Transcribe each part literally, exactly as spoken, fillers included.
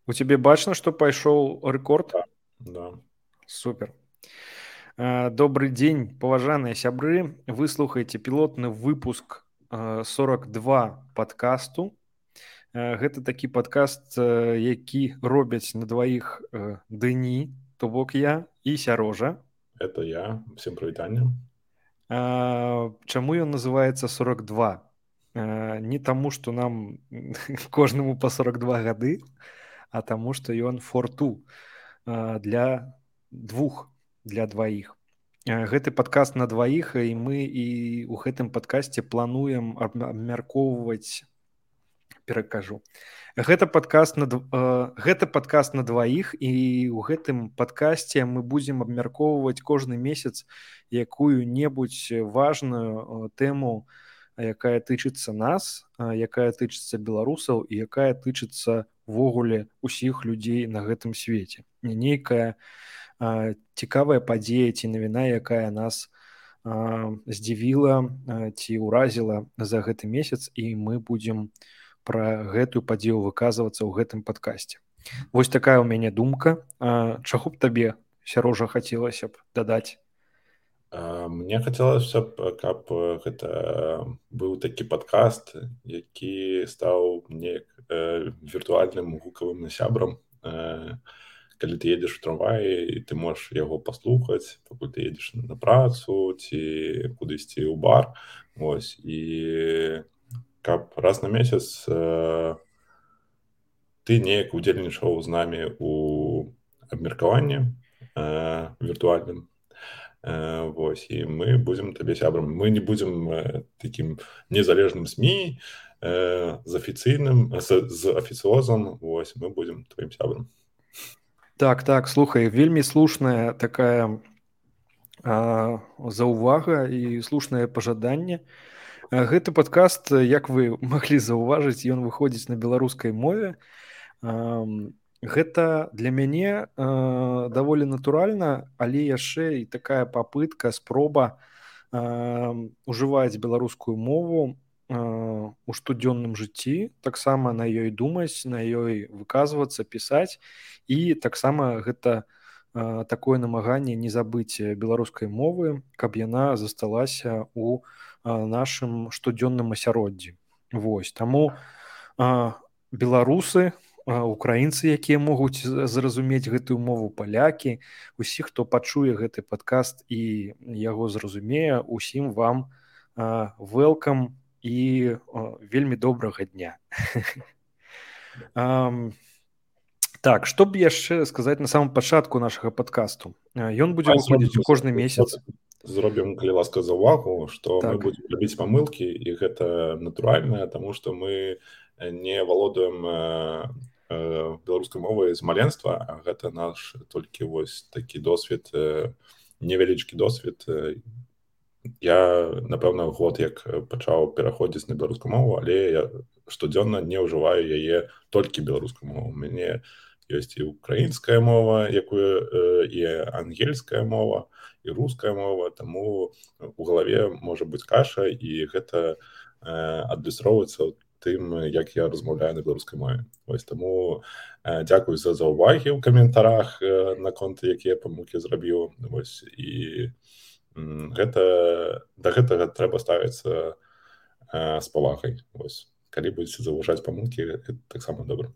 У тебе бачна, што пайшоў рэкорд? Да, да. Супер. Э, Добрый дзень, паважаныя сябры. Вы слухаеце пілотны выпуск э, сорок два падкасту. Э, Гэта такі падкаст, э, які робяць на дваіх э, Дэні, то бок я і Сярожа. Это я. Всем прывітанне. А, Чаму ён называецца сорок два? А, Не таму, што нам кожнаму па сорок два гады, а таму, што ён форту для двух, для дваіх. А, Гэты падкаст на дваіх, і мы і ў гэтым падкасце плануем аб- абмяркоўваць, перакажу. Гэта падкаст на дв- э, гэта падкаст на дваіх, і ў гэтым падкасце мы будзем абмяркоўваць кожны месяц якую-небудзь важную э, тэму, якая тычыцца нас, а, якая тычыцца беларусаў і якая тычыцца ввогуле ўсіх людзей на гэтым свеце. Не нейкая а, цікавая падзея ці навіна, якая нас а, здзівіла а, ці ўразіла за гэты месяц, і мы будзем пра гэтую падзею выказвацца ў гэтым падкасці. Вось такая ў мяне думка. А, Чаго б табе, Сярожа, хацелася б дадаць? А, Мне хацелася б, каб э, гэта быў такі падкаст, які стаў неяк э, віртуальным гукавым сябрам. Э, Калі ты едзеш у трамваі, і ты можаш яго паслухаць, пакуль ты едзеш на працу ці кудысьці ў бар. Вось. І каб раз на месяц э, ты неяк удзельнічаў з намі ў абмеркаванні э, віртуальным. Э, Вось, і мы будзем табе сябрам. Мы не будзем э, такім незалежным СМІ э, з афіцыйным з, з афіцыозам. Вось, мы будзем тваім сябрам. Так, так, слухай, вельмі слушная такая а, заўвага і слушнае пажаданне. А, Гэты падкаст, як вы маглі заўважыць, ён выходзіць на беларускай мове. Ам, Гэта для мяне а, даволі натуральна, але яшчэ і такая папытка, спроба ам, ужываць беларускую мову а, у штодзённым жыцці, таксама на ёй думаць, на ёй выказвацца, пісаць, і таксама гэта а, такое намаганне не забыць беларускай мовы, каб яна засталася ў а, нашым штодзённым асяроддзі. Вось, таму а, беларусы, а, украінцы, якія могуць з- зразумець гэтую мову, палякі, усі, хто пачуе гэты падкаст і яго зразумее, усім вам welcome і а, вельмі добрага дня. Ам, Так, што б яшчэ сказаць на самом пачатку нашага падкасту? А, Ён будзе Давай выходзіць зробім, кожны месяц. зробім, калі ласка, заўвагу, што мы Так. будзем рабіць памылкі, і гэта натуральна, таму што мы не валодаем э, э, беларускай мовай з маленства, а гэта наш толькі вось такі досвед, э, невялічкі досвед. Э, Я, напэўна, год як пачаў пераходзіць на беларускую мову, але я штодзённа не ўжываю яе толькі беларускую мову. У мяне ёсць і украінская мова, якую э, і ангельская мова, і руская мова, таму у галаве можа быць каша, і гэта э, адлюстроўваецца ў тым, як я размаўляю на беларускай мове. Вось таму э, дзякуй за заўвагі ў каментарах э, наконт, якія памылкі зрабіў. Вось, і М, гэта да гэтага трэба ставіцца э, з павагай. Вось. Калі будзеце заўважаць памылкі, гэта таксама добра.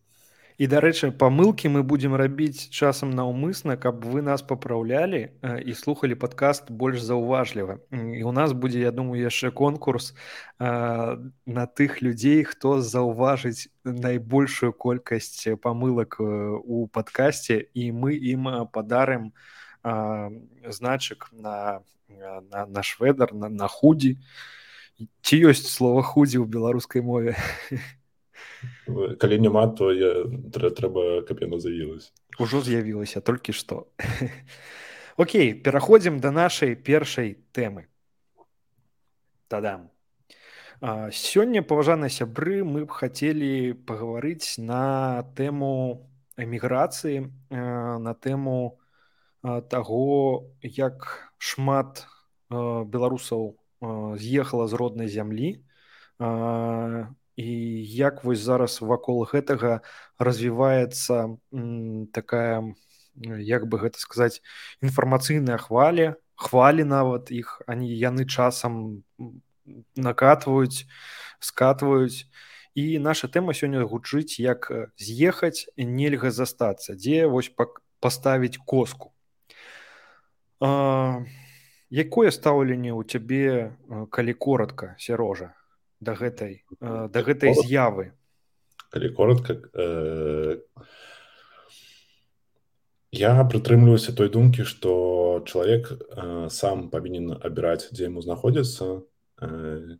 І, дарэчы, памылкі мы будзем рабіць часам наўмысна, каб вы нас папраўлялі э, і слухалі падкаст больш заўважліва. М, І ў нас будзе, я думаю, яшчэ конкурс а, на тых людзей, хто заўважыць найбольшую колькасць памылак э, у падкасце, і мы ім а, падарым а, значак на, а, на, на шведар, на, на худзі. Ці ёсць слова худзі ў беларускай мове? Калі няма, то я, трэ, трэба, каб яно з'явілася. Ужо з'явілася толькі што. Окей, пераходзім да нашай першай тэмы. Тадам. А, Сёння, паважаныя сябры, мы б хацелі пагаварыць на тэму эміграцыі, э, на тэму а, таго, як шмат а, беларусаў а, з'ехала з роднай зямлі, а, і як вось зараз вакол гэтага развіваецца такая, як бы гэта сказаць, інфармацыйная хваля, хвалі нават іх, они яны часам накатваюць, скатваюць. І наша тэма сёння гучыць як з'ехаць, нельга застацца, дзе вось паставіць коску. А, якое стаўленне ў цябе, калі коротка, Серожа, да гэтай, да гэтай з'явы? Калі коротка, э... я прытрымліваюся той думкі, што чалавек э, сам павінен абіраць, дзе яму знаходзіцца, э,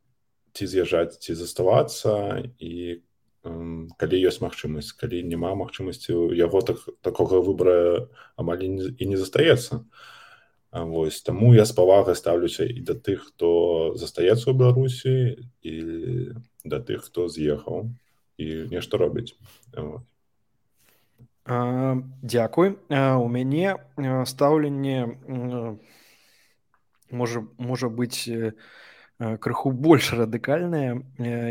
ці з'язджаць, ці заставацца, і э, калі ёсць магчымасць, калі няма магчымасці, яго так, такога выбара амаль і не, і не застаецца. А вось, таму я з павагай стаўлюся і да тых, хто застаецца ў Беларусі, і да тых, хто з'ехаў і нешта робіць. А, дзякуй. А, у мяне стаўленне можа, можа быць крыху больш радыкальнае.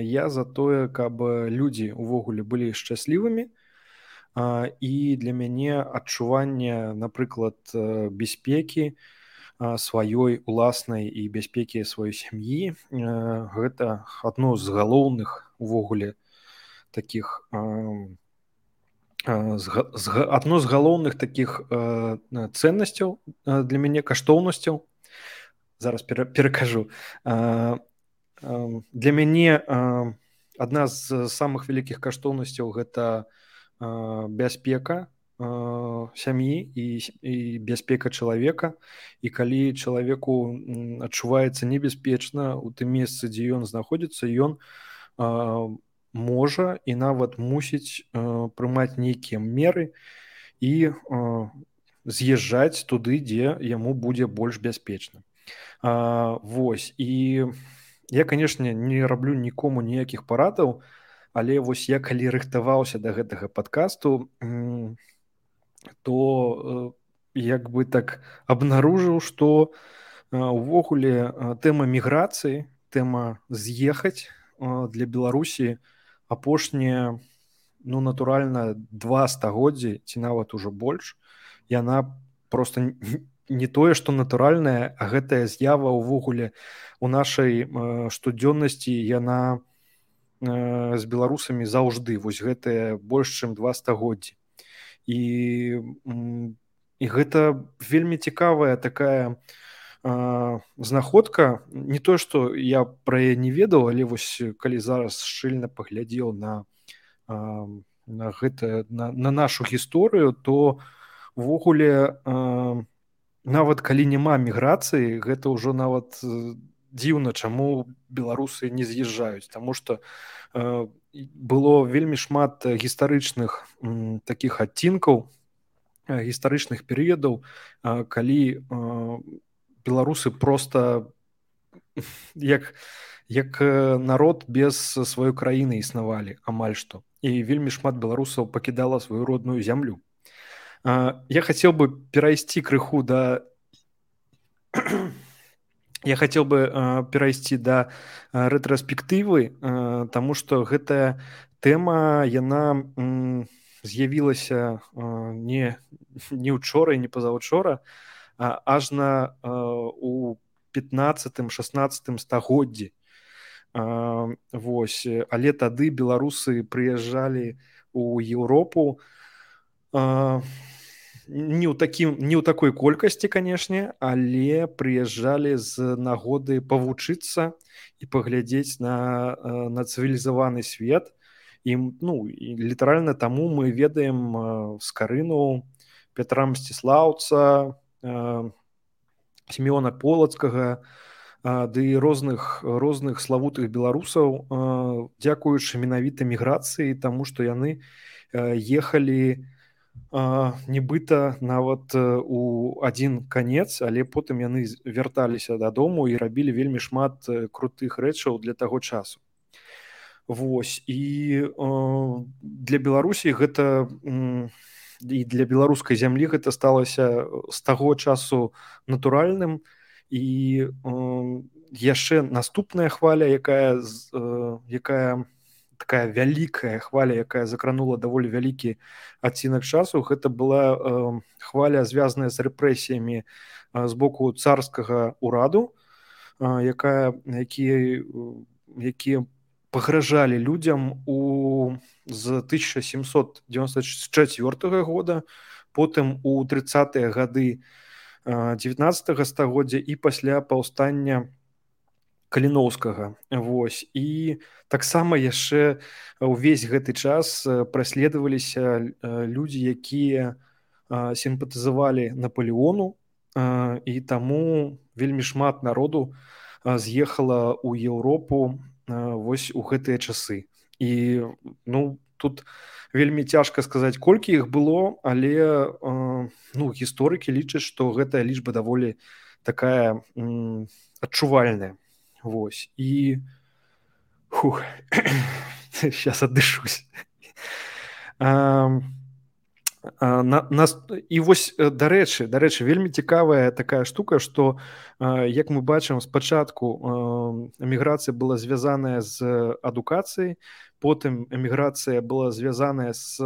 Я за тое, каб людзі ўвогуле былі шчаслівымі, а, і для мяне адчуванне, напрыклад, бяспекі сваёй уласнай і бяспекі сваёй сям'і, гэта адно з галоўных увогуле такіх адно з галоўных такіх цэннасцяў для мяне, каштоўнасцяў. Зараз перакажу. Для мяне адна з самых вялікіх каштоўнасцяў гэта бяспека сям'і і, і бяспека чалавека. І калі чалавеку адчуваецца небяспечна ў тым месцы, дзе ён знаходзіцца, ён можа і нават мусіць прымаць нейкія меры і з'язджаць туды, дзе яму будзе больш бяспечна. Вось. І я, канешне, не раблю нікому ніякіх парадаў, але вось я калі рыхтаваўся да гэтага падкасту, то як бы так абнаружыў, што увогуле тэма міграцыі, тэма з'ехаць для Беларусі апошнія, ну, натуральна, два стагоддзі, ці нават ужо больш, яна проста не тое, што натуральная, а гэтая з'ява ўвогуле у нашай штодзённасці, яна з беларусамі заўжды, вось гэтая больш чым два стагоддзі. І, і гэта вельмі цікавая такая а, знаходка. Не тое, што я пра яе не ведаў, але вось калі зараз шчыльна паглядзеў на, а, на, гэта, на, на нашу гісторыю, то увогуле а, нават калі няма міграцыі, гэта ўжо нават дзіўна, чаму беларусы не з'язджаюць. Таму што а, было вельмі шмат гістарычных м, такіх адцінкаў, гістарычных перыядаў, а, калі а, беларусы проста як, як народ без сваёй краіны існавалі амаль што. І вельмі шмат беларусаў пакідала сваю родную зямлю. А, я хацеў бы перайсці крыху да Я хацеў бы э, перайсці да э, рэтраспектывы, э, таму што гэтая тэма, яна м, з'явілася э, не, не учора і не пазаўчора, а ажна э, у пятнаццатым-шаснаццатым стагоддзі. Э, вось, але тады беларусы прыязджалі ў Еўропу, э, не ў такім, не ў такой колькасці, канешне, але прыязджалі з нагоды павучыцца і паглядзець на, на цывілізаваны свет. І, ну, і літаральна таму мы ведаем Скарыну, Пятра Мсціслаўца, Сімеона Полацкага, ды розных, розных славутых беларусаў, дзякуючы менавіта міграцыі, таму што яны ехалі Uh, нібыта нават uh, у адзін канец, але потым яны вярталіся дадому і рабілі вельмі шмат uh, крутых рэчаў для таго часу. Вось. І uh, для Беларусі гэта um, і для беларускай зямлі гэта сталася з таго часу натуральным. І uh, яшчэ наступная хваля, якая, uh, якая такая вялікая хваля, якая закранула даволі вялікі адцінак часу, гэта была э, хваля, звязаная з рэпрэсіямі э, з боку царскага ўраду, э, якая якія якія пагражалі людзям у з тысяча сямсот дзевяносто чацвёртага года, потым у трыццатыя гады дзевятнаццатага стагоддзя і пасля паўстання Каліноўскага. Вось. І таксама яшчэ ўвесь гэты час праследаваліся людзі, якія сімпатызавалі Напалеону, і таму вельмі шмат народу з'ехала ў Еўропу вось у гэтыя часы. І ну, тут вельмі цяжка сказаць, колькі іх было, але ну, гісторыкі лічаць, што гэтая лічба даволі такая м, адчувальная. Вось. І фух, сейчас аддышусь. А, а, на, нас, і вось, дарэчы, дарэчы, вельмі цікавая такая штука, што, як мы бачым, спачатку эміграцыя была звязаная з адукацыяй, потым эміграцыя была звязаная з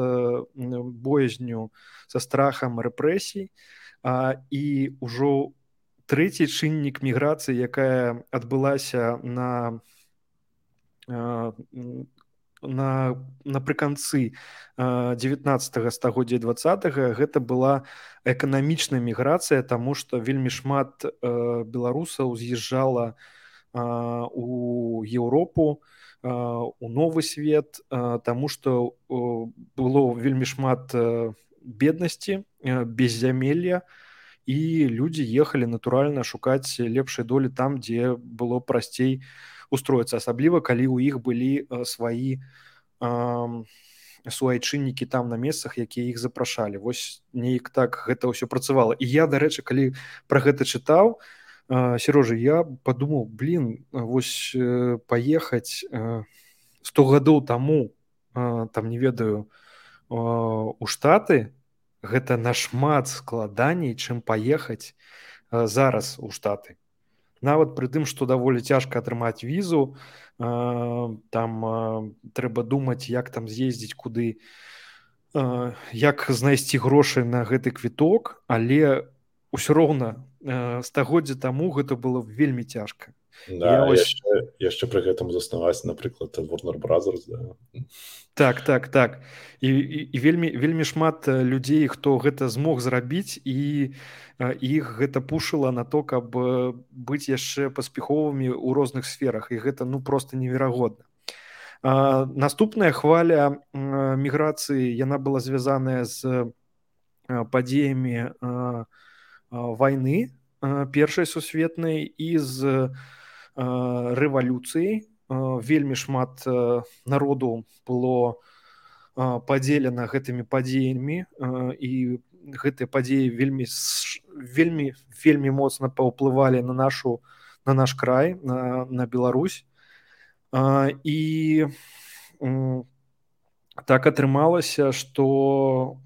боязню, са страхам рэпрэсій, і ўжо трэці чыннік міграцыі, якая адбылася на, на напрыканцы дзевятнаццатага стагоддзя двадцатага, гэта была эканамічная міграцыя, таму што вельмі шмат беларусаў з'язджала у Еўропу, у новы свет, таму што было вельмі шмат беднасці, беззямелля, і людзі ехалі натуральна шукаць лепшай долі там, дзе было прасцей устроіцца, асабліва калі ў іх былі сваі суайчыннікі там на месцах, якія іх запрашалі. Вось неяк так гэта ўсё працавала. І я, дарэчы, калі пра гэта чытаў, Серожа, я падумаў, блин, вось паехаць сто гадоў таму, там не ведаю, у Штаты, гэта нашмат складаней, чым паехаць зараз у Штаты. Нават пры тым, што даволі цяжка атрымаць візу, там трэба думаць, як там з'ездзіць, куды, як знайсці грошы на гэты квіток, але ўсё роўна стагоддзя таму гэта было вельмі цяжка. Да, ось... яшчэ, яшчэ пры гэтым заснаваць, напрыклад, Warner Brothers, да. Так, так, так. І, і, і вельмі, вельмі шмат людзей, хто гэта змог зрабіць, і іх гэта пушыла на то, каб быць яшчэ паспяховымі ў розных сферах, і гэта ну проста неверагодна. А, наступная хваля а, міграцыі, яна была звязаная з а, падзеямі а, а, вайны а, першай сусветнай і з а, рэвалюцыяй. Вельмі шмат народу было падзелена гэтымі падзеямі, і гэтыя падзеі вельмі вельмі вельмі моцна паўплывалі на нашу на наш край, на, на Беларусь. І так атрымалася, што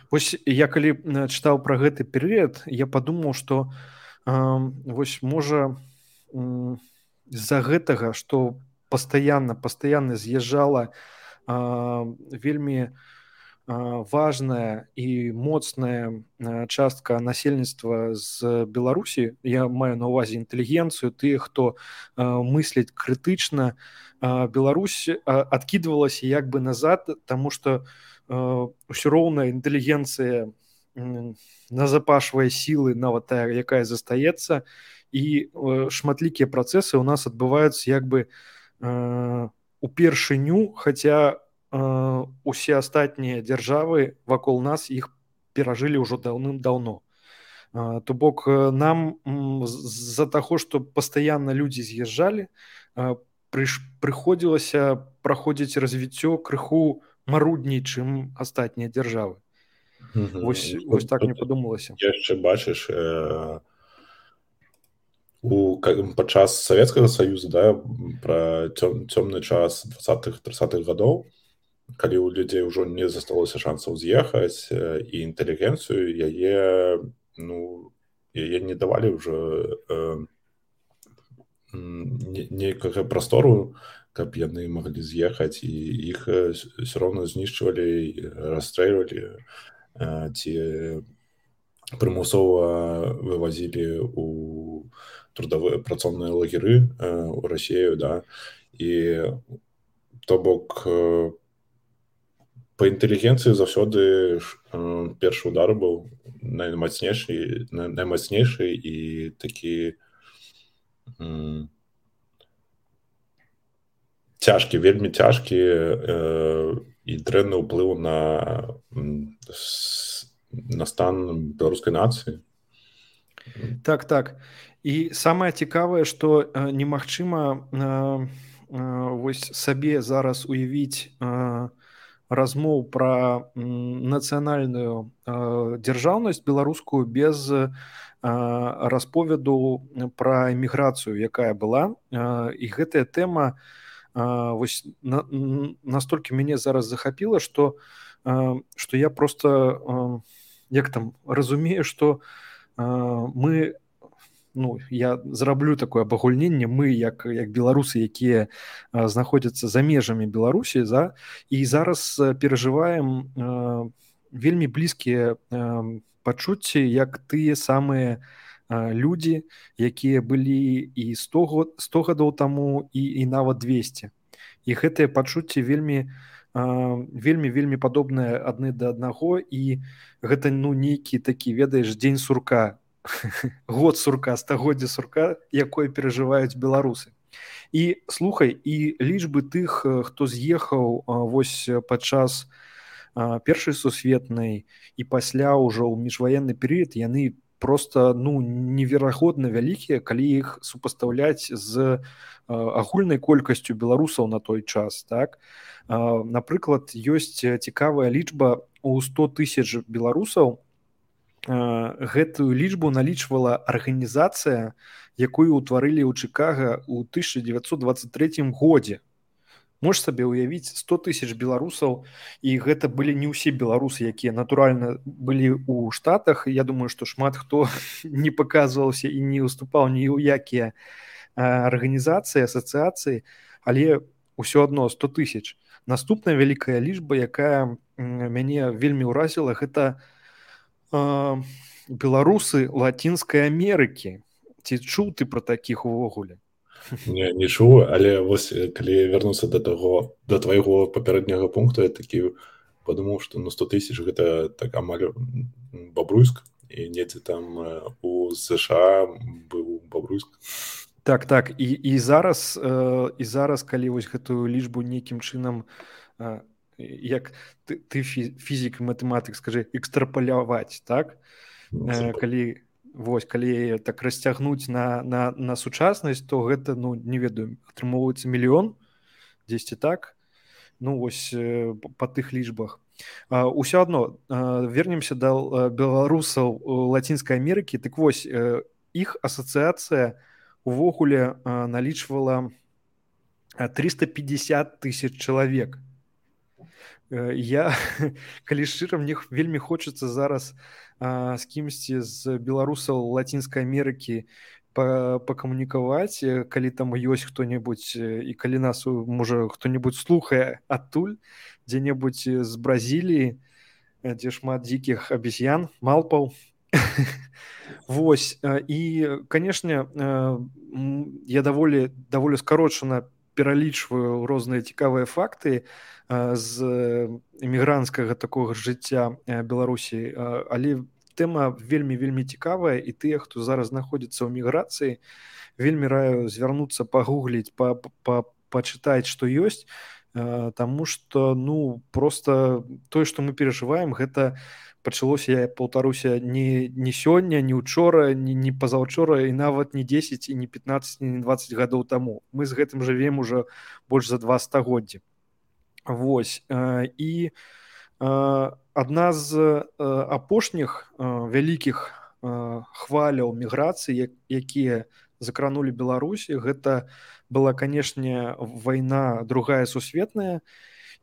вось я калі чытаў пра гэты перыяд, я падумаў, што вось можа з-за гэтага, што пастаянна пастаянна з'язджала а, вельмі а, важная і моцная а, частка насельніцтва з Беларусі, я маю на ўвазе інтэлігенцыю, тыя, хто а, мысліць крытычна, а, Беларусь а, адкідвалася як бы назад, таму што а, ўсё роўна інтэлігенцыя назапашвае сілы, нават тая, якая застаецца, і э, шматлікія працэсы ў нас адбываюцца як бы э, упершыню, хаця э, усе астатнія дзяржавы вакол нас іх перажылі ўжо даўным-даўно. Э, то бок нам з-за таго, што пастаянна людзі з'язджалі, э, прыш, прыходзілася праходзіць развіццё крыху марудней, чым астатнія дзяржавы. Mm-hmm. Вось, вось так мне падумалася. Яшчэ бачыш, э... у падчас Савецкага Саюза, да, пра цёмны час двадцатых тридцатых гадоў, калі ў людзей ўжо не засталося шансаў з'ехаць, і інтэлігенцыю яе ну яе не давалі ўжо э, нейкага прастору каб яны маглі з'ехаць, і іх все роўна знішчвалі, расстрэльвалі ці прымусова вывозілі у трудовыя працоўныя лагеры ў Расію, да, і то бок па інтэлігенцыі заўсёды першы удар быў наймацнейшы, наймацнейшы і такі м, цяжкі, вельмі цяжкі э, і дрэнны ўплыў на, на стан беларускай нацыі. Так, так. І самае цікавае, што э, немагчыма э, э, вось сабе зараз уявіць э, размоў пра нацыянальную э, дзяржаўнасць беларускую без э, расповеду пра эміграцыю, якая была. Э, і гэтая тэма э, вось на, настолькі мяне зараз захапіла, што э, што я просто э, як там разумею, што э, мы, ну, я зраблю такое абагульненне, мы як, як беларусы, якія а, знаходзяцца за межамі Беларусі, за, і зараз а, перажываем а, вельмі блізкія а, пачуцці, як тыя самыя а, людзі, якія былі і сто гадоў таму, і, і нават двесце. І гэтыя пачуцці вельмі а, вельмі вельмі падобныя адны да аднаго, і гэта, ну, нейкі такі, ведаеш, дзень сурка, год сурка, стагоддзе сурка, якое перажываюць беларусы. І слухай, і лічбы тых, хто з'ехаў вось падчас першай сусветнай і пасля ўжо ў міжваенны перыяд, яны просто, ну, неверагодна вялікія, калі іх супастаўляць з агульнай колькасцю беларусаў на той час, так? Напрыклад, ёсць цікавая лічба у сто тысяч беларусаў. Гэтую лічбу налічвала арганізацыя, якую ўтварылі ў Чыкага ў тысяча дзевяцьсот дваццаць трэцім годзе. Можаш сабе ўявіць, сто тысяч беларусаў, і гэта былі не ўсе беларусы, якія натуральна былі ў Штатах. Я думаю, што шмат хто не паказваўся і не ўступаў ні ў якія арганізацыі, асацыяцыі, але ўсё адно сто тысяч. Наступная вялікая лічба, якая мяне вельмі ўразіла, гэта беларусы Лацінскай Амерыкі. Ці чуў ты пра такіх увогуле? Не, не чуў, але вось калі вярнуцца да таго, да твайго папярэдняга пункту, я такі падумаў, што на сто тысяч гэта так амаль Бабруйск, і недзе там у США быў Бабруйск. Так, так, і, і зараз і зараз, калі вось гэтую лічбу нейкім чынам, як ты, ты фізік і матэматык, скажы, экстрапаляваць, так? Э, калі, вось, калі так расцягнуць на, на, на сучаснасць, то гэта, ну, не ведаю, атрымоўваецца мільён, дзесьці так, ну, вось, э, па тых лічбах. А, ўсё адно, э, вернемся да беларусаў Лацінскай Амерыкі, так вось, э, іх асацыяцыя увогуле э, налічвала триста пятьдесят тысяч чалавек. Я, калі шчыра, мне вельмі хочацца зараз а, з кімсьці з беларусаў Лацінскай Амерыкі пакамунікаваць, калі там ёсць хто-небудзь, і калі нас, можа, хто-небудзь слухае адтуль, дзе-небудзь з Бразіліі, дзе шмат дзікіх абезьян, малпаў. Вось, і, канешне, я даволі, даволі скарочана пералічваю розныя цікавыя факты з эмігранцкага такога жыцця Беларусі, але тэма вельмі-вельмі цікавая, і тыя, хто зараз знаходзіцца ў міграцыі, вельмі раю звярнуцца, пагугліць, па, па, пачытаць, што ёсць, таму што, ну, просто тое, што мы перажываем, гэта пачалося, я паўтаруся, не, не сёння, не учора, не, не пазаўчора, і нават не дзесяць, і не пятнаццаць, не дваццаць гадоў таму. Мы з гэтым жывем уже больш за два стагоддзі. Вось, і адна з апошніх вялікіх хваляў міграцыі, якія закранулі Беларусь, гэта была, канешне, вайна другая сусветная,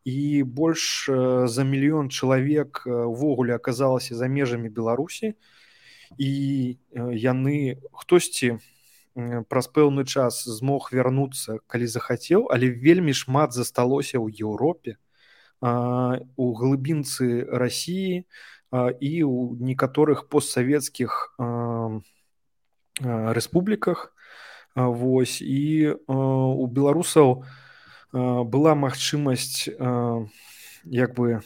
і больш за мільён чалавек увогуле аказалася за межамі Беларусі, і яны, хтосьці праз пэўны час змог вярнуцца, калі захацеў, але вельмі шмат засталося ў Еўропе, у глыбінцы Расіі і ў некаторых постсавецкіх рэспубліках. Вось, і у беларусаў была магчымасць як бы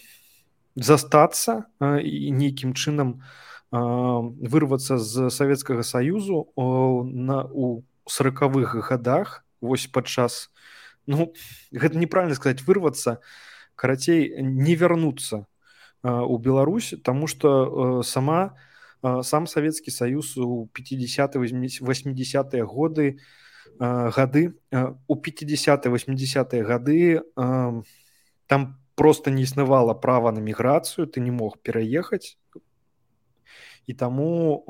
застацца і нейкім чынам вырвацца з Савецкага Саюзу на у сорокавых гадах. Вось падчас, ну гэта неправільна сказаць вырвацца, карацей не вярнуцца у Беларусь, таму што сама сам Савецкі Саюз у пятидесятые восьмидесятые годы гады у пятидесятые восьмидесятые гады там просто не існавала права на міграцыю, ты не мог пераехаць. І таму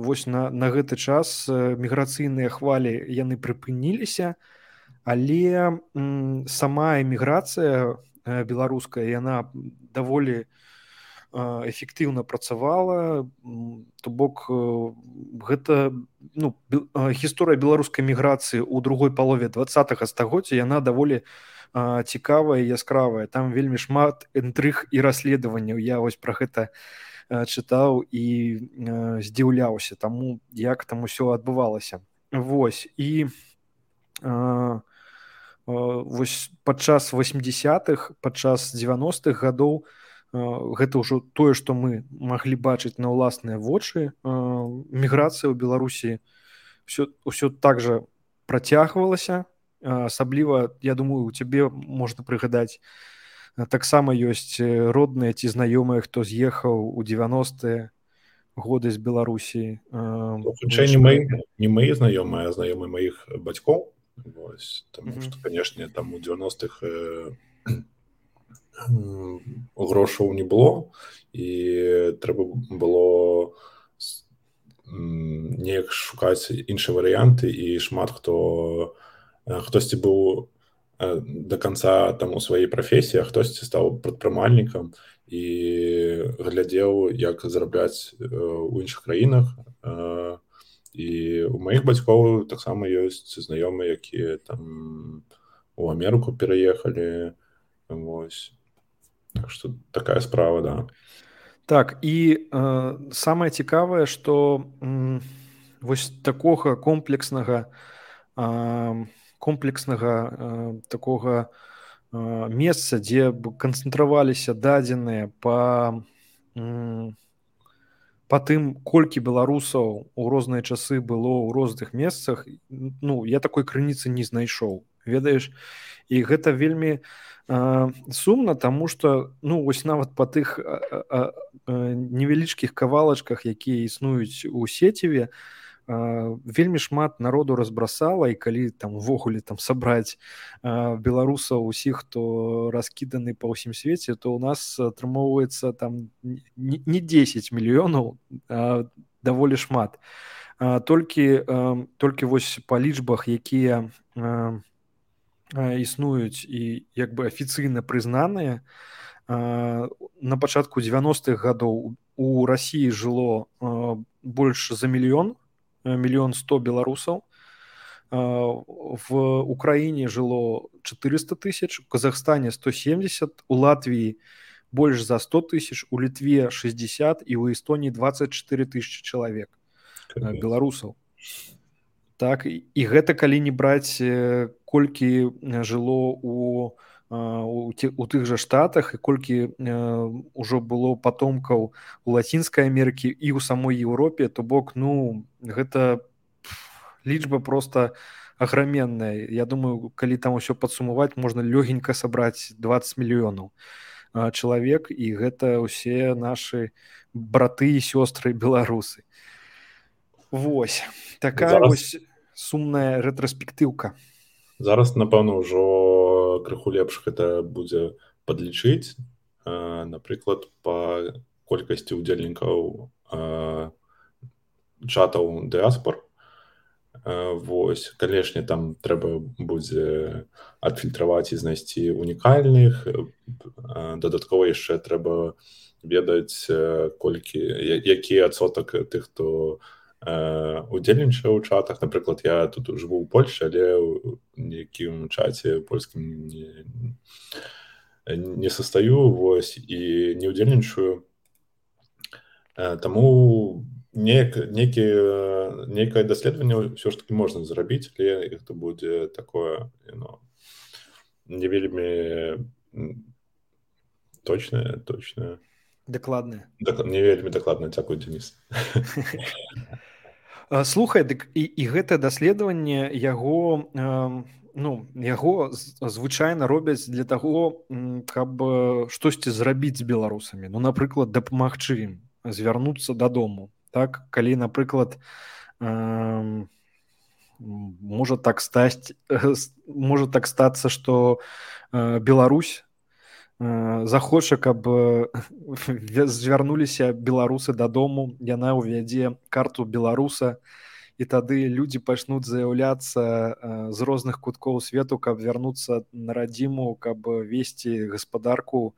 вось на, на гэты час міграцыйныя хвалі яны прыпыніліся, але м, сама эміграцыя беларуская яна даволі эфектыўна працавала. То бок гэта ну, гісторыя беларускай міграцыі ў другой палове двадцатага стагоддзя яна даволі цікавая і яскравая. Там вельмі шмат інтрыг і расследаванняў. Я вось пра гэта чытаў і здзіўляўся таму, як там усё адбывалася. Вось, і а, вось падчас восьмидесятых, падчас девяностых гадоў гэта ўжо тое, што мы маглі бачыць на ўласныя вочы. Міграцыя ў Беларусі ўсё, ўсё так жа працягвалася. Асабліва, я думаю, у цябе можна прыгадаць, таксама ёсць родныя ці знаёмыя, хто з'ехаў у девяностые годы з Беларусі. Хутчэй не мои, не мои знаёмыя, а знаёмыя маіх бацькоў. Вось, тому mm-hmm. што, канешне, там у девяностых э, грошаў не было, і трэба было неяк шукаць іншыя варыянты, і шмат хто хтосьці быў до конца там у сваёй прафесіі, а хтосьці стаў прадпрымальнікам і глядзеў, як зарабляць у іншых краінах. І у маіх бацькоў таксама ёсць знаёмыя, якія там у Амерыку пераехалі. Вось. Так што такая справа, да. Так, і э, самае цікавае, што м, вось такога комплекснага э, комплекснага э, такога э, месца, дзе б канцэнтраваліся дадзеныя па, м, па тым, колькі беларусаў у розныя часы было ў розных месцах, ну, я такой крыніцы не знайшоў, ведаеш. І гэта вельмі э, сумна, таму што ну, вось нават па тых э, э, невялічкіх кавалачках, якія існуюць у сеціве, вельмі шмат народу разбрасала, і калі там увогуле там сабраць беларусаў усіх, хто раскіданы па ўсім свеце, то ў нас атрымоўваецца там не дзесяць мільёнаў, а даволі шмат. Толькі, толькі вось па лічбах, якія існуюць і як бы афіцыйна прызнаныя, на пачатку девяностых гадоў у Расіі жыло больш за мільён, мільён сто беларусаў, в Украіне жыло четыреста тысяч, у Казахстане сто семьдесят, у Латвіі больш за сто тысяч, у Літве шестьдесят і у Эстоніі двадцать четыре тысячи чалавек беларусаў. Так, і гэта калі не браць, колькі жыло у у тых жа штатах і колькі ўжо было патомкаў у Лацінскай Амерыкі і ў самой Еўропе, то бок ну гэта лічба просто аграменная. Я думаю, калі там усё падсумаваць, можна лёгенька сабраць двадцать мільёнаў чалавек, і гэта ўсе нашы браты і сёстры беларусы. Вось такая зараз... вось сумная рэтраспектыўка. Зараз, напэўна, ўжо крыху лепш гэта будзе падлічыць. Напрыклад, па колькасці ўдзельнікаў чатаў дыаспор. Вось, канешне, там трэба будзе адфільтраваць і знайсці унікальных. Дадаткова яшчэ трэба ведаць, колькі, які адсотак тых, хто удзельнічаю ў чатах. Напрыклад, я тут жыву ў Польшчы, але ў нейкім чаце польскім не, не састаю, вось, і не ўдзельнічаю. Таму нейкае даследаванне ўсё ж таки можна зрабіць, але гэта будзе такое, ну, не вельмі точнае, точнае. Дакладнае. Не вельмі дакладна. Дзякуй, Денис. Слухай, дык і, і гэтае даследаванне яго э, ну, яго звычайна робяць для таго, каб штосьці зрабіць з беларусамі. Ну, напрыклад, дапамагчы ім звярнуцца дадому. Так, калі, напрыклад, э, можа так стаць, можа так стацца, што э, Беларусь э, захоча, каб звярнуліся беларусы дадому, яна ўвядзе карту беларуса, і тады людзі пачнуць заяўляцца э, з розных куткоў свету, каб вярнуцца на радзіму, каб весці гаспадарку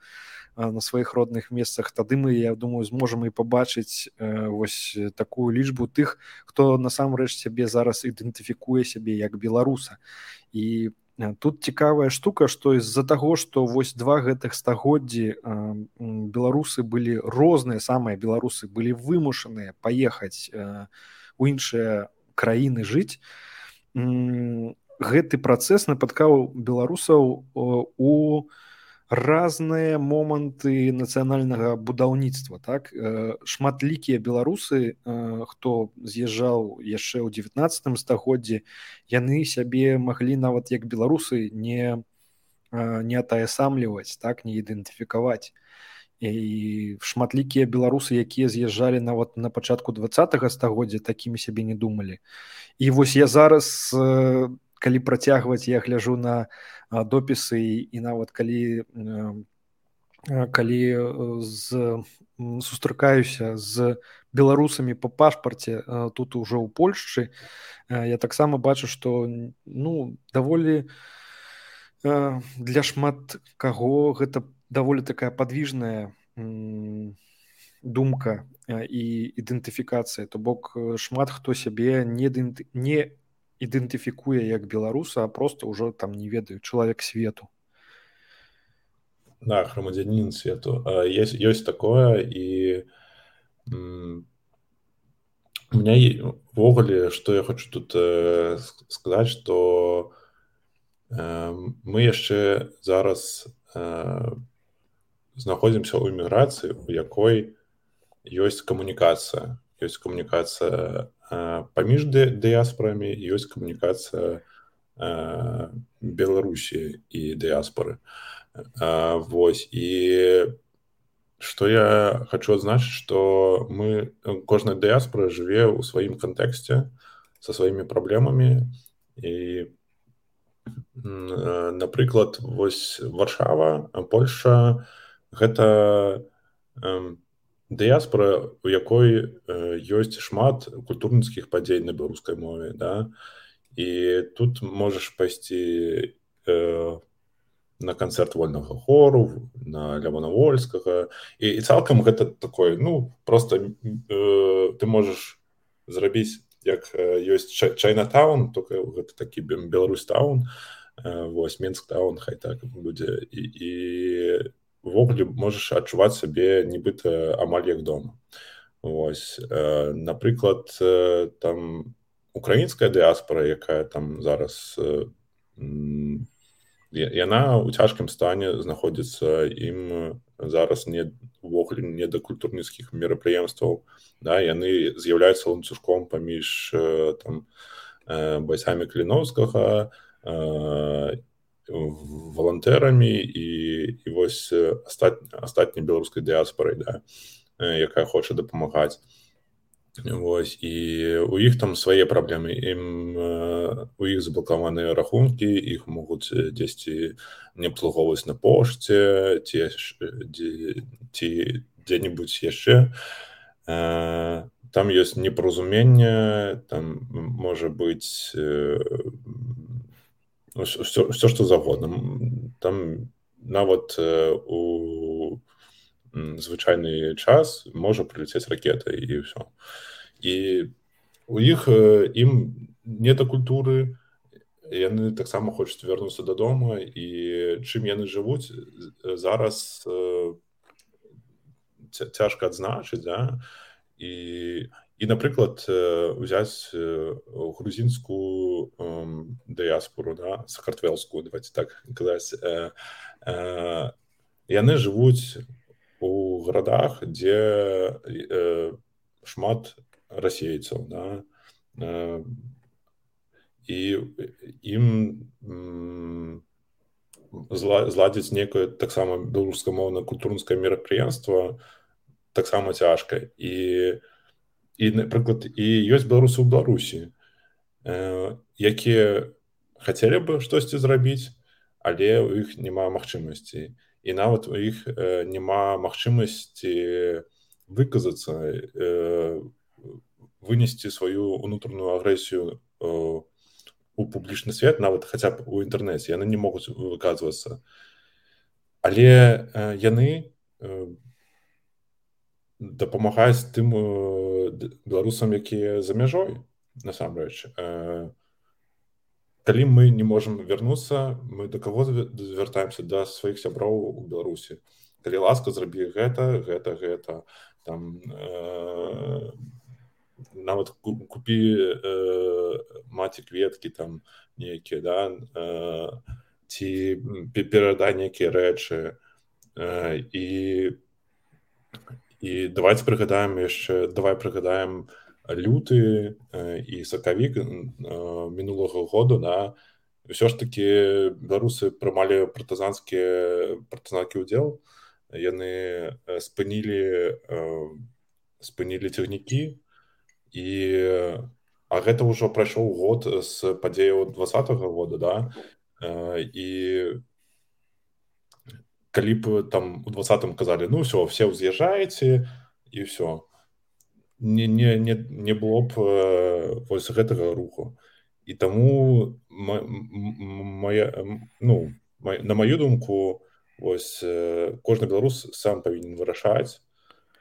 э, на сваіх родных месцах. Тады мы, я думаю, зможам і пабачыць э, вось такую лічбу тых, хто насамрэч сябе зараз ідэнтыфікуе сябе як беларуса. І тут цікавая штука, што з-за таго, што вось два гэтых стагоддзі э, беларусы былі розныя, самыя беларусы былі вымушаныя паехаць э, у іншыя краіны жыць, гэты працэс напаткаў беларусаў у разныя моманты нацыянальнага будаўніцтва. Так? Шматлікія беларусы, хто з'язджаў яшчэ ў дзевятнаццатым стагоддзі, яны сябе маглі нават як беларусы не, не атаясамліваць, так? Не ідэнтыфікаваць. І шматлікія беларусы, якія з'язджалі нават на пачатку дваццатага стагоддзя, такімі сябе не думалі. І вось я зараз, калі працягваць, я гляжу на допісы і нават калі, калі з, сустракаюся з беларусамі па пашпарце тут ужо ў Польшчы, я таксама бачу, што ну, даволі для шмат каго гэта даволі такая падвіжная думка і ідэнтыфікацыя. То бок шмат хто сябе не, не ідэнтыфікуе як беларуса, а проста ўжо там не ведаю, чалавек свету. Да, грамадзянін свету. Есть, ёсць такое, і м, у меня ўвогуле, што я хочу тут э, сказаць, што э, мы яшчэ зараз э, знаходзімся ў эміграцыі, у якой ёсць камунікацыя. Ёсць камунікацыя э, паміж дыяспорамі, ёсць камунікацыя э, Беларусі і дыяспоры. Э, вось, і што я хочу адзначыць, што мы, кожная дыяспора жыве ў сваім кантэксце, са сваімі праблемамі, і напрыклад, вось Варшава, Польшча, гэта э, дыяспора, у якой э, ёсць шмат культурніцкіх падзей на беларускай мове, да? І тут можаш пайсці э, на канцэрт вольнага хору, на Лявона Вольскага, і, і цалкам гэта такой, ну, проста э, ты можаш зрабіць, як э, ёсць Чайнатаун, толькі гэта такі Беларусь-таун, э, вось, Менск-таун, хай так будзе, і, і увогуле можаш адчуваць сабе нібыта амаль як дома. Вось, э, напрыклад, э, там украінская дыяспора, якая там зараз э, яна ў цяжкім стане знаходзіцца, ім зараз не увогуле не да культурніцкіх мерапрыемстваў, да, яны з'яўляюцца ланцужком паміж э, там э, байцамі Кліноўскага, э, валантэрамі і, і вось астат, астатняй беларускай дыяспорай, да, якая хоча дапамагаць. Вось, і у іх там свае праблемы. Ім, у іх заблакаваныя рахункі, іх могуць дзесьці не абслугоўваць на пошце, ці, ці, ці дзе-небудзь яшчэ. Там ёсць непаразуменне, там можа быць ўсё, ўсё што загодна. Там нават у звычайны час можа прыляцець ракета і ўсё. І у іх ім не да культуры, яны таксама хочуць вярнуцца дадому, і чым яны жывуць зараз цяжка адзначыць, да? І, і напрыклад, узяць грузінскую дыяспору, да? Сакартвэлскую, давайте так казаць, яны жывуць у гарадах, дзе шмат расейцаў, да? І ім зладзіць некае таксама беларускамоўнае культурніцкае мерапрыемства таксама цяжка. І, і напрыклад, і ёсць беларусы ў Беларусі, якія хацелі бы штосьці зрабіць, але ў іх няма магчымасці. І нават у іх няма магчымасці выказацца, вынесці сваю ўнутраную агрэсію у публічны свет, нават хаця б у інтэрнэце, яны не могуць выказвацца. Але яны дапамагаюць тым беларусам, якія за мяжой, насамрэч. Калі мы не можам вярнуцца, мы да каго звяртаемся? Да сваіх сяброў у Беларусі. Калі ласка, зрабі гэта, гэта, гэта. Там, э, нават купі э, маці кветкі там нейкія, да? Э, ці перадай нейкія рэчы. Э, і, і давайте прыгадаем яшчэ, давай прыгадаем люты і сакавік мінулага году, да, ўсё ж такі беларусы прымалі партызанскі партызанскі ўдзел, яны спынілі спынілі цягнікі, і а гэта ўжо прайшоў год з падзеяў двадцатага года, да, і калі б там у двадцатым казалі, ну ўсё, все ўз'язджаеце і ўсё, Не, не, не, не было б э, вось гэтага руху. І таму моя, ну, моя, на маю думку, вось э, кожны беларус сам павінен вырашаць,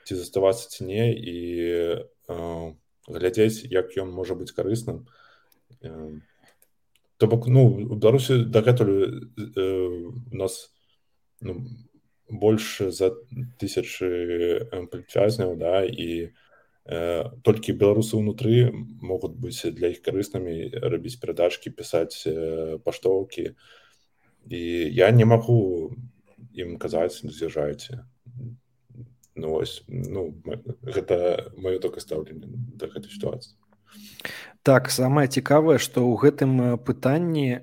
ці заставацца ці не, і э, глядзець, як ён можа быць карысным. Э, То бок, ну, у Беларусі дагэтуль э, у нас ну, больш за тысячы палітвязняў, да, і толькі беларусы ўнутры могуць быць для іх карыснымі, рабіць перадачкі, пісаць паштоўкі. І я не магу ім казаць, з'язджайце. Ну, ось, ну, гэта маё толькі стаўленне да гэтай сітуацыі. Так, самае цікавае, што ў гэтым пытанні э,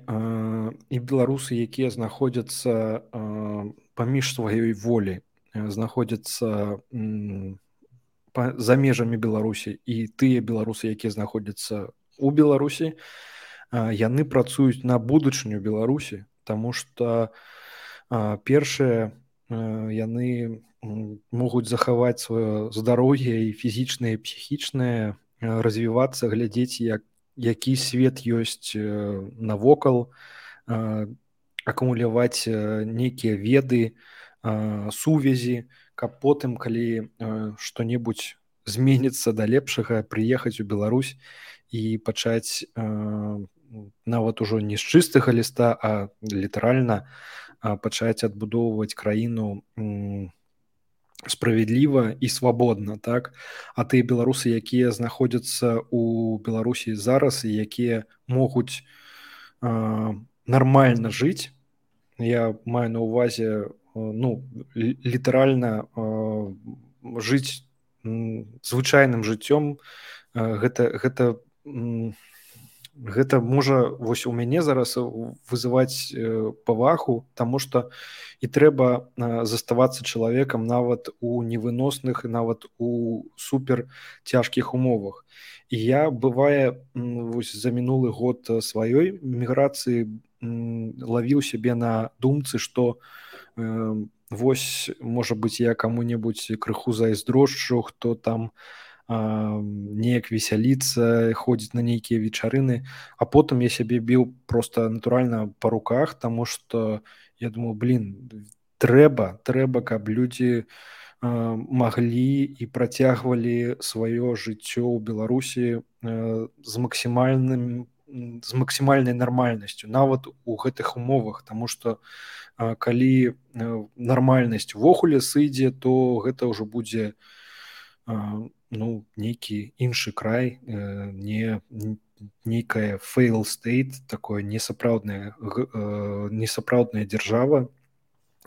і беларусы, якія знаходзяцца э, паміж сваёй волі, э, знаходзяцца э, за межамі Беларусі, і тыя беларусы, якія знаходзяцца ў Беларусі, яны працуюць на будучыню Беларусі, таму што першае, яны могуць захаваць сваё здароўе і фізічнае, і псіхічнае, развівацца, глядзець, як, які свет ёсць навокал, акумуляваць нейкія веды, сувязі, каб потым, калі э, што-небудзь зменіцца да лепшага, прыехаць у Беларусь і пачаць э, нават ужо не з чыстага ліста, а літаральна э, пачаць адбудоўваць краіну э, справядліва і свабодна, так? А тыя беларусы, якія знаходзяцца ў Беларусі зараз і якія могуць э, нармальна жыць, я маю на ўвазе ну, літаральна э, жыць м, звычайным жыццём, э, гэта, гэта, м, гэта можа вось у мяне зараз вызываць э, павагу, таму што і трэба э, заставацца чалавекам нават у невыносных, нават у супер цяжкіх умовах. І я, бывае, м, вось за мінулы год сваёй міграцыі м, лавіў сябе на думцы, што вось, можа быць, я каму-небудзь крыху зайздрошчу, хто там а, неяк весяліцца, ходзіць на нейкія вечарыны, а потым я сябе біў проста натуральна па руках, таму што я думаю, блин, трэба, трэба, каб людзі маглі і працягвалі сваё жыццё ў Беларусі з максімальным з максімальнай нармальнасцю нават у гэтых умовах, таму што калі нармальнасць увогуле сыдзе, то гэта ўжо будзе ну нейкі іншы край, не нейкая fail state, такое несапраўдная несапраўдная дзяржава,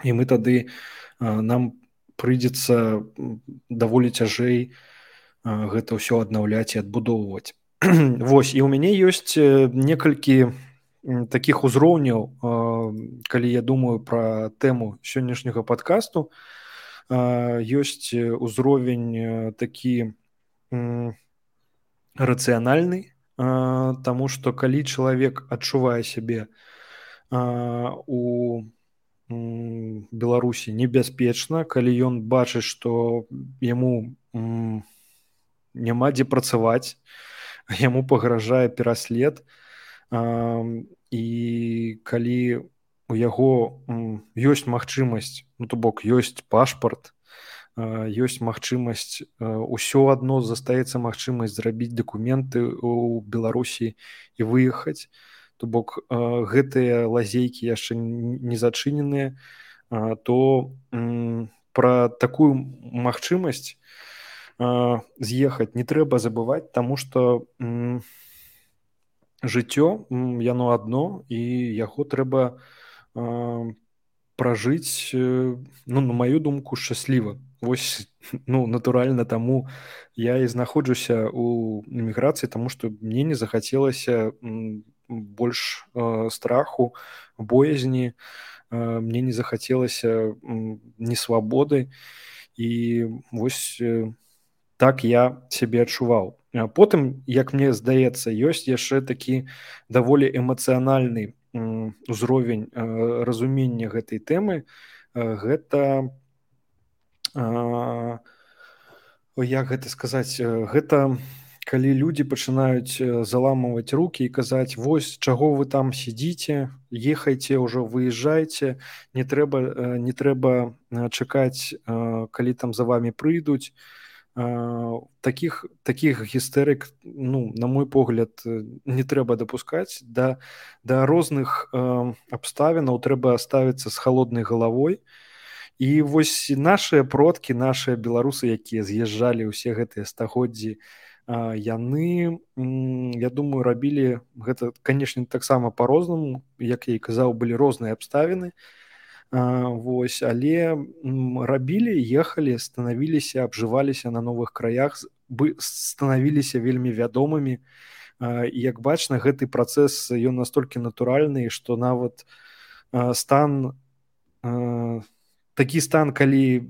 і мы тады нам прыйдзецца даволі цяжэй гэта ўсё аднаўляць і адбудоўваць. Вось, і ў мяне ёсць некалькі такіх узроўняў, калі я думаю пра тэму сённяшняга падкасту. Ёсць узровень такі рацыянальны, таму што калі чалавек адчувае сябе у Беларусі небяспечна, калі ён бачыць, што яму няма дзе працаваць, яму пагражае пераслед, і калі у яго ёсць магчымасць, ну то бок ёсць пашпарт, ёсць магчымасць, усё адно застаецца магчымасць зрабіць дакументы ў Беларусі і выехаць, то бок гэтыя лазейкі яшчэ не зачыненыя, то пра такую магчымасць з'ехаць не трэба забываць, таму што жыццё яно адно і яго трэба пражыць, ну на маю думку, шчасліва. Вось, ну натуральна, таму я і знаходжуся ў эміграцыі, таму што мне не захацелася больш страху, боязні, мне не захацелася несвабоды, і вось так я сябе адчуваў. Потым, як мне здаецца, ёсць яшчэ такі даволі эмацыянальны узровень разумення гэтай тэмы. Гэта, як гэта сказаць, гэта калі людзі пачынаюць заламваць рукі і казаць: вось чаго вы там сядзіце, ехайце ўжо, выязджайце, не трэба, не трэба чакаць, калі там за вамі прыйдуць. Такіх такіх гістэрык, ну на мой погляд, не трэба дапускаць. Да, да розных абставінаў трэба ставіцца з халоднай галавой. І вось нашыя продкі, нашыя беларусы, якія з'язджалі ўсе гэтыя стагоддзі, яны, я думаю, рабілі гэта, канешне, таксама па-рознаму. Як я і казаў, былі розныя абставіны. Вось, але рабілі, ехалі, станавіліся, абжываліся на новых краях, станавіліся вельмі вядомымі. І як бачна, гэты працэс, ён настолькі натуральны, што нават стан, такі стан, калі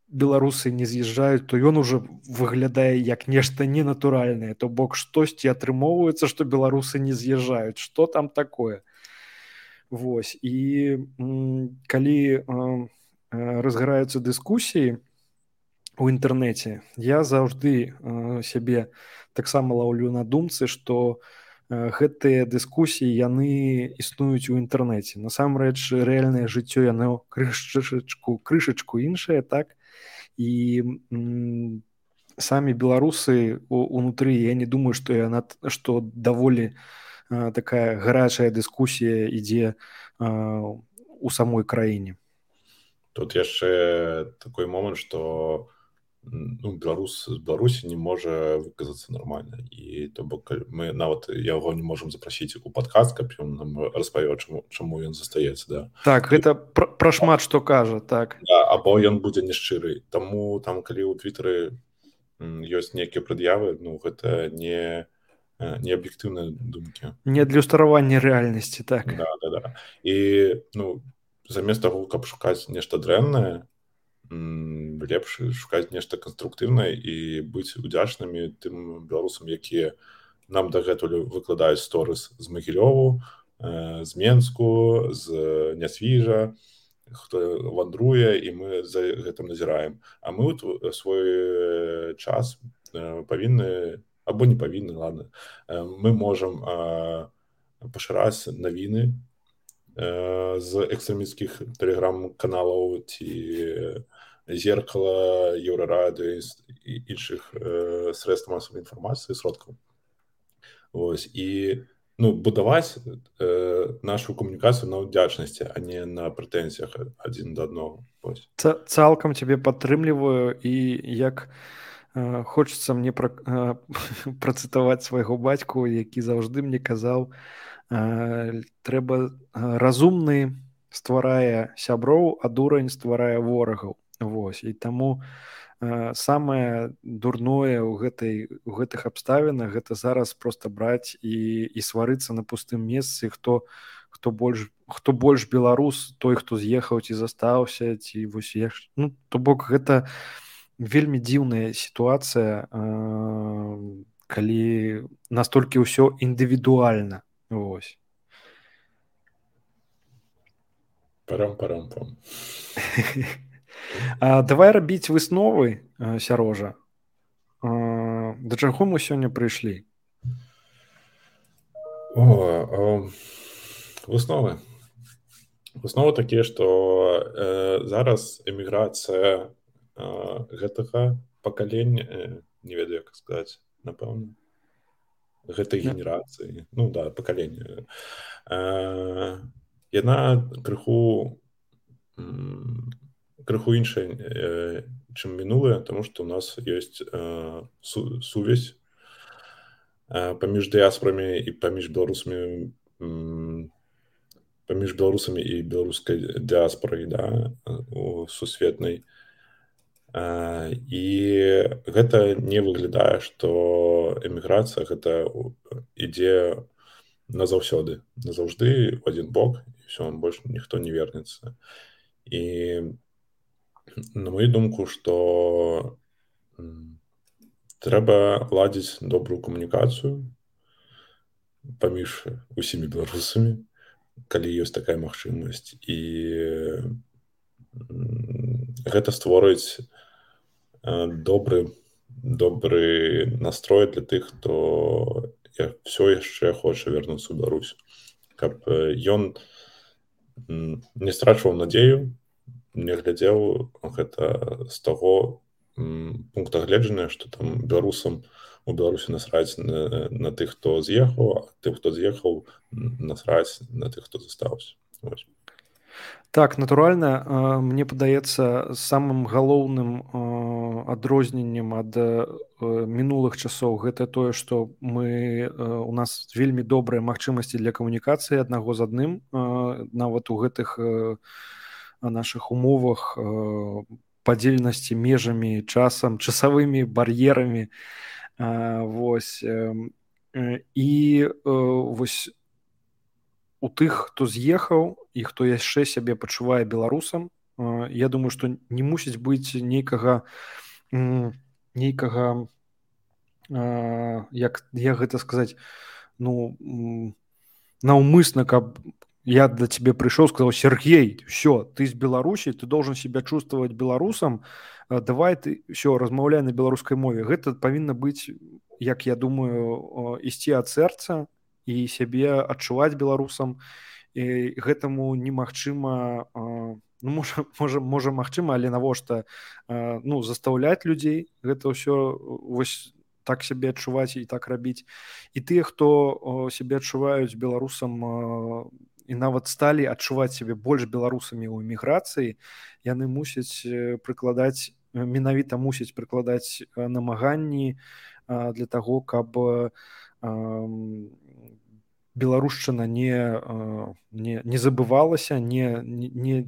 беларусы не з'язджаюць, то ён ужо выглядае як нешта ненатуральнае. То бок штосьці атрымоўваецца, што беларусы не з'язджаюць. Што там такое? Вось, і калі разгараюцца дыскусіі у інтэрнэце, я заўжды сябе таксама лаўлю на думцы, што гэтыя дыскусіі, яны існуюць у інтэрнэце. Насамрэч, рэальнае жыццё, яно крышачку, крышачку іншае, так? І самі беларусы унутры, я не думаю, што яна, што даволі такая гарячая дыскусія ідзе у самой краіне. Тут яшчэ такой момант, што ну, беларус з Беларусі не можа выказацца нармальна, і то бок мы нават яго не можам запрасіць у падкаст, каб ён нам распавёў, чаму, чаму ён застаецца. Да. Так, гэта пра, пра шмат што кажа, так. Да, або ён будзе няшчыры. Таму там, калі ў Твітары ёсць нейкія прад'явы, ну гэта не неаб'ектыўныя думкі. Не адлюстраванне рэальнасці, так. Да, да, да. І ну, замест таго, каб шукаць нешта дрэннае, лепш шукаць нешта канструктыўнае і быць удзячнымі тым беларусам, якія нам дагэтуль выкладаюць сторыс з Магілёву, з Менску, з Нясвіжа, хто вандруе, і мы за гэтым назіраем. А мы свой час павінны, або не павінны, ладно, мы можам пашыраць навіны з экстрэмісцкіх тэлеграм-каналаў ці зеркала, Еўрарадыо і іншых средств масавай інфармацыі, сродкаў. Вось. І ну, будаваць э, нашу камунікацыю на ўдзячнасці, а не на прэтэнзіях адзін да аднаго. Вось. Цалкам цябе падтрымліваю, і як э, хочацца мне пра, э, працытаваць свайго бацьку, які заўжды мне казаў, э, трэба разумны стварае сяброў, а дурань стварае ворагаў. Вось. І таму э, самае дурное ў гэтай у гэтых абставінах гэта зараз проста браць і, і сварыцца на пустым месцы, хто хто больш хто больш беларус, той, хто з'ехаў ці застаўся, ці вось я ну, то бок гэта вельмі дзіўная сітуацыя, э, калі настолькі ўсё індывідуальна. Вось. Парам-парам-пам. А, давай рабіць высновы, Сярожа. А, да чаго мы сёння прыйшлі? О, о, высновы. Высновы такія, што э, зараз эміграцыя э, гэтага пакалення, э, не ведаю, як сказаць, напэўна, гэтай генерацыі, ну да, пакалення, э, яна крыху крыху іншая, э, чым мінулая, таму што ў нас ёсць э, су, сувязь э, паміж дыяспорамі і паміж беларусамі, м, паміж беларусамі і беларускай дыяспорай, да, у сусветнай. Э, і гэта не выглядае, што эміграцыя гэта ідзе назаўсёды, назаўжды ў адзін бок, і ўсё, больш ніхто не вернецца. І на мою думку, што трэба ладзіць добрую камунікацыю паміж усімі беларусамі, калі ёсць такая магчымасць. І гэта створыць добры, добры настрой для тых, хто все яшчэ хоча вярнуцца ў Беларусь. Каб ён не страчваў надзею, не глядзеў гэта з таго пункта гледжання, што там беларусам у Беларусі насраць на, на тых, хто з'ехаў, а тых, хто з'ехаў, насраць на тых, хто застаўся. Вось. Так, натуральна, мне падаецца, самым галоўным адрозненнем ад мінулых часоў гэта тое, што мы у нас вельмі добрыя магчымасці для камунікацыі аднаго з адным, нават у гэтых нашых умовах падзельнасці межамі, часам, часавымі бар'ерамі. Вось. І вось у тых, хто з'ехаў і хто яшчэ сябе пачувае беларусам, я думаю, што не мусіць быць нейкага нейкага, як, як гэта сказаць, ну, наўмысна, каб я до тебе пришел, сказал: Сергей, все, ты из Беларуси, ты должен себя чувствовать белорусом, давай ты, все, размаўляй на беларускай мове. Гэта павінна быць, як я думаю, ісці ад сэрца і сябе адчуваць беларусам. І гэтаму немагчыма, ну, можа, можа, можа магчыма, але навошта, ну, застаўляць людзей, гэта ўсё вось так сябе адчуваць і так рабіць. І тыя, хто сябе адчуваюць беларусам і нават сталі адчуваць сябе больш беларусамі ў эміграцыі, яны мусяць прыкладаць, менавіта мусяць прыкладаць намаганні для таго, каб беларушчына не, не, не забывалася, не, не,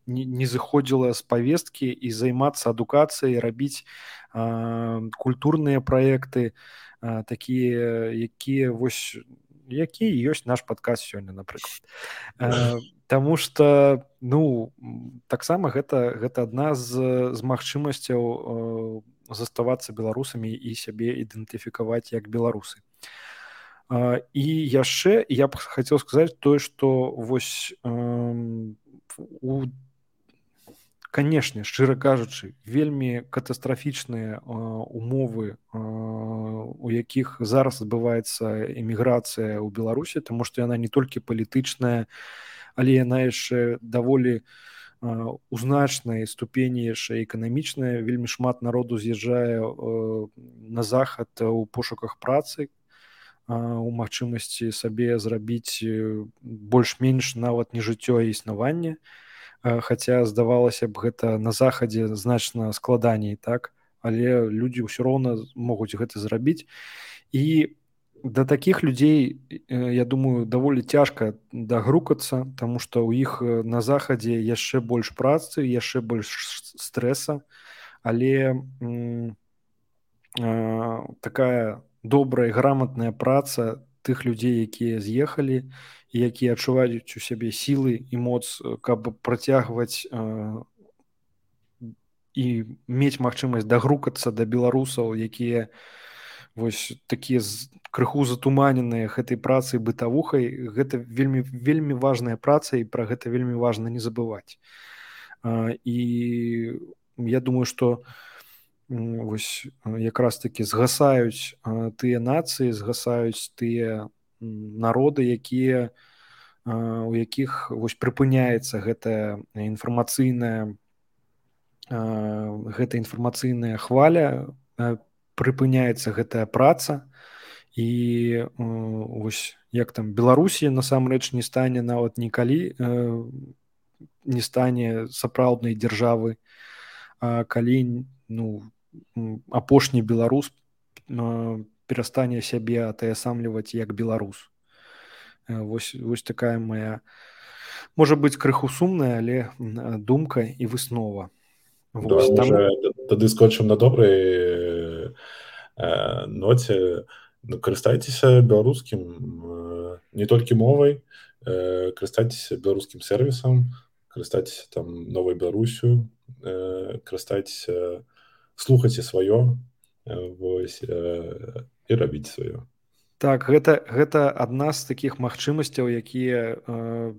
не, не зыходзіла з павесткі, і займацца адукацыяй, рабіць культурныя праекты, такія, якія вось які ёсць наш падкаст сёння, напрыклад. Таму што, ну, таксама гэта, гэта адна з, з магчымасцяў заставацца беларусамі і сябе ідэнтыфікаваць як беларусы. І яшчэ я б хацеў сказаць тое, што вось у канешне, шчыра кажучы, вельмі катастрафічныя умовы, у якіх зараз адбываецца эміграцыя ў Беларусі, таму што яна не толькі палітычная, але яна яшчэ даволі у значнай ступені яшчэ эканамічная. Вельмі шмат народу з'язджае на захад у пошуках працы, у магчымасці сабе зрабіць больш-менш нават не жыццё, а існаванне. Хаця здавалася б, гэта на захадзе значна складаней, так? Але людзі ўсё роўна могуць гэта зрабіць. І да такіх людзей, я думаю, даволі цяжка дагрукацца, таму што ў іх на захадзе яшчэ больш працы, яшчэ больш стрэса, але м, э, такая добрая, грамотная праца тых людзей, якія з'ехалі, і якія адчуваюць у сябе сілы і моц, каб працягваць э, і мець магчымасць дагрукацца да беларусаў, якія вось такія крыху затуманеныя гэтай працай бытавухай. Гэта вельмі вельмі важная праца, і пра гэта вельмі важна не забываць. І я думаю, што вось якраз такі згасаюць тыя нацыі, згасаюць тыя народы, якія у якіх вось прыпыняецца гэтая інфармацыйная гэта інфармацыйная хваля, прыпыняецца гэтая праца, і вось як там Беларусі насамрэч не стане нават нікалі, не стане сапраўднай дзяржавы, калі ну апошні беларус перастане сябе атаясамліваць як беларус. Вось, вось такая моя, можа быць, крыху сумная, але думка і выснова. Давай, може, тады скончым на добрай э, ноце. Ну, карыстайцеся беларускім не толькі мовай, э, карыстайцеся беларускім сервісам, карыстайцеся там Новай Беларусю, э, карыстайцеся, слухайце сваё, э, вось, э, і рабіце сваё. Так, гэта, гэта адна з такіх магчымасцяў, якія э,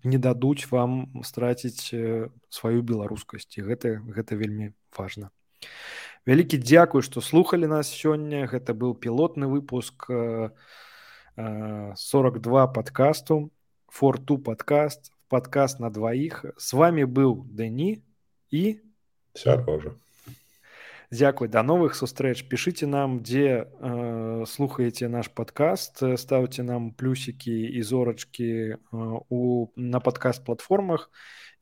не дадуць вам страціць э, сваю беларускасць. І гэта, гэта вельмі важна. Вялікі дзякуй, што слухалі нас сёння. Гэта быў пілотны выпуск э, э, сорок два падкасту, фор ту падкаст, падкаст на дваіх. З вами быў Дэні і Сярожа. Дзякуй, да новых сустрэч. Пішыце нам, дзе э, слухаеце наш падкаст, ставце нам плюсікі і зорачкі э, у, на падкаст-платформах.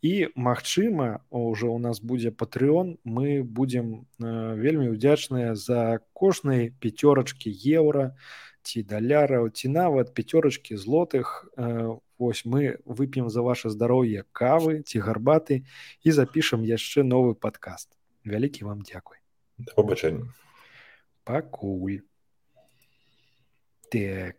І, магчыма, ўжо ў нас будзе Patreon, мы будзем э, вельмі ўдзячныя за кожнай пяцёрачкі еўра ці даляраў, ці нават пяцёрачкі злотых. Э, вось мы вып'ем за ваше здароўе кавы ці гарбаты і запішам яшчэ новы падкаст. Вялікі вам дзякуй. Да побачення. Пакуль. Так.